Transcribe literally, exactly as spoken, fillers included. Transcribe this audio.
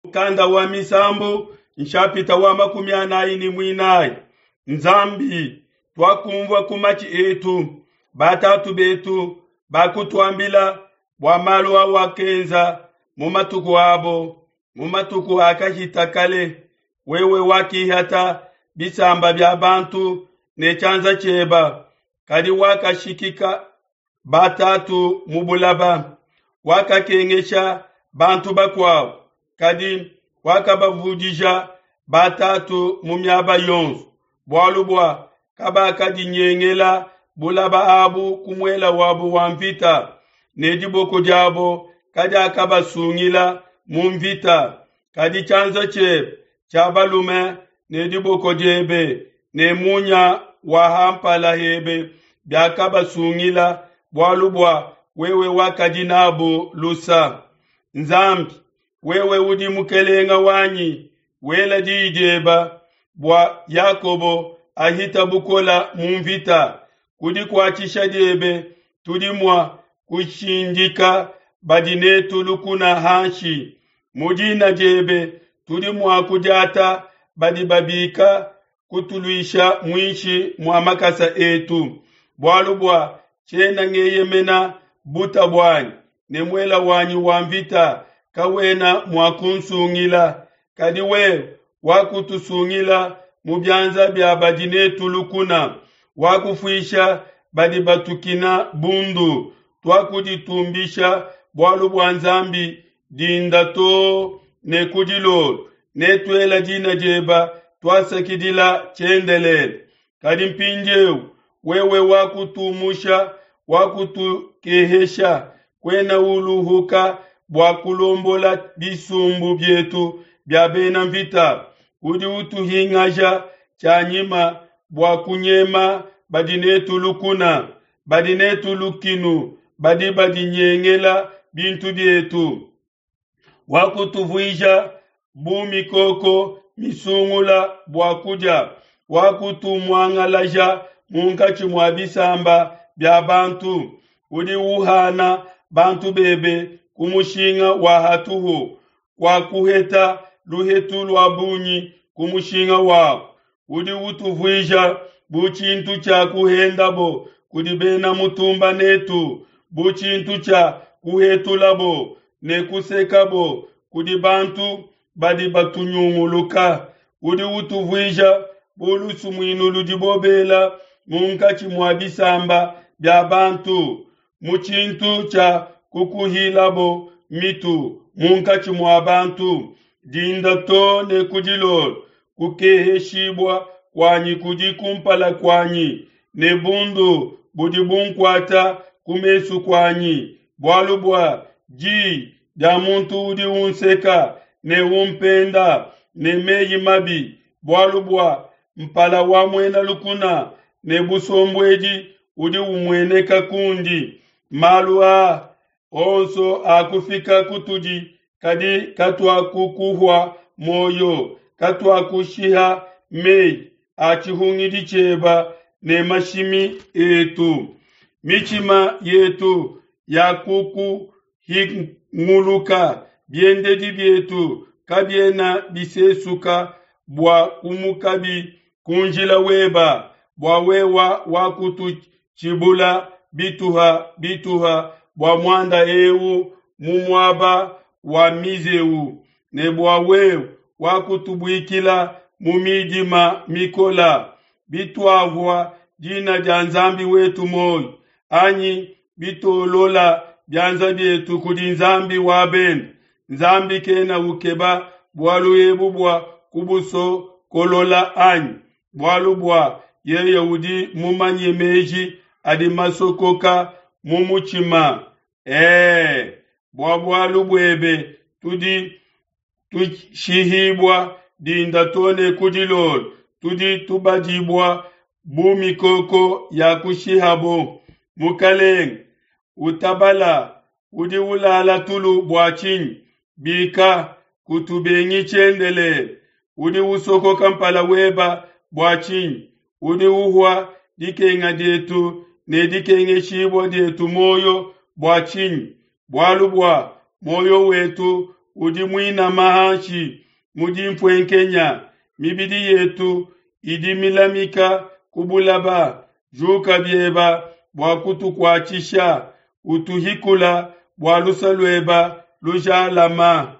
Mukanda wa Misambu nshapita wa makumi anayi ne muinayi. Nzambi, tuakumvua ku matshi etu, batatu betu bakutuambila bua malu awakenza mu matuku abo, mu matuku akahita kale. Wewe wakihata bisamba bia bantu ne tshianza tshieba, kadi wakashikika batatu mu bulaba. Wakakengesha bantu bakuabo, kadi wakabavudija batatu mu miaba yonso, bualu bua kabakadinyengela bulaba abu ku muela wabo wa mvita, ne diboko diabo kadiakabasungila mu mvita. Kadi tshianza tshiebe tshia balume ne diboko diebe ne munya wa ha mpala hebe biakabasungila, bualu bua wewe wakadi nabo lusa. Nzambi, wewe udi mukelenga wanyi, wela diyi dieba bua Yakobo ahita bukola mu mvita. Ku dikuatshisha diebe tudi mua kushindika badi netu lukuna hanshi. Mu dina diebe tudi mua kudiata badi babika kutuluisha muinshi mua makasa etu. Bualu bua tshiena ngeyemena buta buanyi, ne muela wanyi wa mvita kawena mua kunsungila. Kadi wewe wakutusungila mu bianza bia badi netu lukuna, wakufuisha badi batukina bundu. Tuakuditumbisha bualu bua Nzambi dinda too ne ku dilolo, ne tuela dina dieba tuasakidila tshiendelele. Kadi mpindieu wewe wakutumusha, wakutukehesha, kuena uluhuka bua kulombola bisumbu bietu bia bena mvita. Udi utuhingaja tshianyima bua kunyema badi netu lukuna, badi netu lukinu, badi badinyengela bintu bietu. Wakutuvuija bu mikoko misungula bua kudia, wakutumuangalaja munkatshi mua bisamba bia bantu. Udi uhana bantu bebe ku mushinga wa hatuhu, kwa kuheta luhetu lua bungi ku mushinga wabo. Udi utuvuija bu tshintu tshia kuhendabo kudi bena mutumba netu, bu tshintu tshia kuhetulabo ne kusekabo kudi bantu badi batunyunguluka. Udi utuvuija bu lusumuinu ludibo bela munkatshi mua bisamba bia bantu, mu tshintu tshia kukuhilabo mitu munkatshi mua bantu. Dinda too ne ku dilolo kukeheshibua kuanyi kudi kumpala kuanyi, ne bundu budi bunkuata ku mesu kuanyi, bualu bua diyi dia muntu udi unseka ne umpenda ne meyi mabi, bualu bua mpala wa muena lukuna ne busombuedi udi umueneka kundi. Malu aa onso akufika kutudi, kadi katuakukuhua moyo, katuakushiha meyi a tshihungidi tshieba ne mashimi etu. Mitshima yetu yakukuhinguluka, biendedi bietu kabiena bisesuka bua kumukabi ku njila weba, bua wewa wakututshibula bituha bituha bua muanda eu mu muaba wa mizeu, ne bua wewe wakutubuikila mu midima mikola. Bituahua dina dia Nzambi wetu moyo, anyi bitolola bianza bietu kudi Nzambi wa bende, Nzambi kena ukeba bualu ebu bua kubusokolola anyi? Bualu bua yeye udi mumanye meji adi masokoka mu mutshima. Ee, bua bualu buebe tudi tushihibua dinda too ne ku dilolo, tudi tubadibua bu mikoko ya kushihabo. Mukelenge, utabala, udi ulala tulu bua tshinyi? Bika, kutubengi tshiendelele. Udi usokoka mpala weba bua tshinyi? Udi uhua dikenga dietu ne dikengeshibua dietu moyo bua tshinyi? Bualu bua moyo wetu udi muinama hanshi mu dinfuenkenya, mibidi yetu idi milamika ku bulaba. Juka bieba bua kutukuatshisha, utuhikula bua luse lueba lujalama.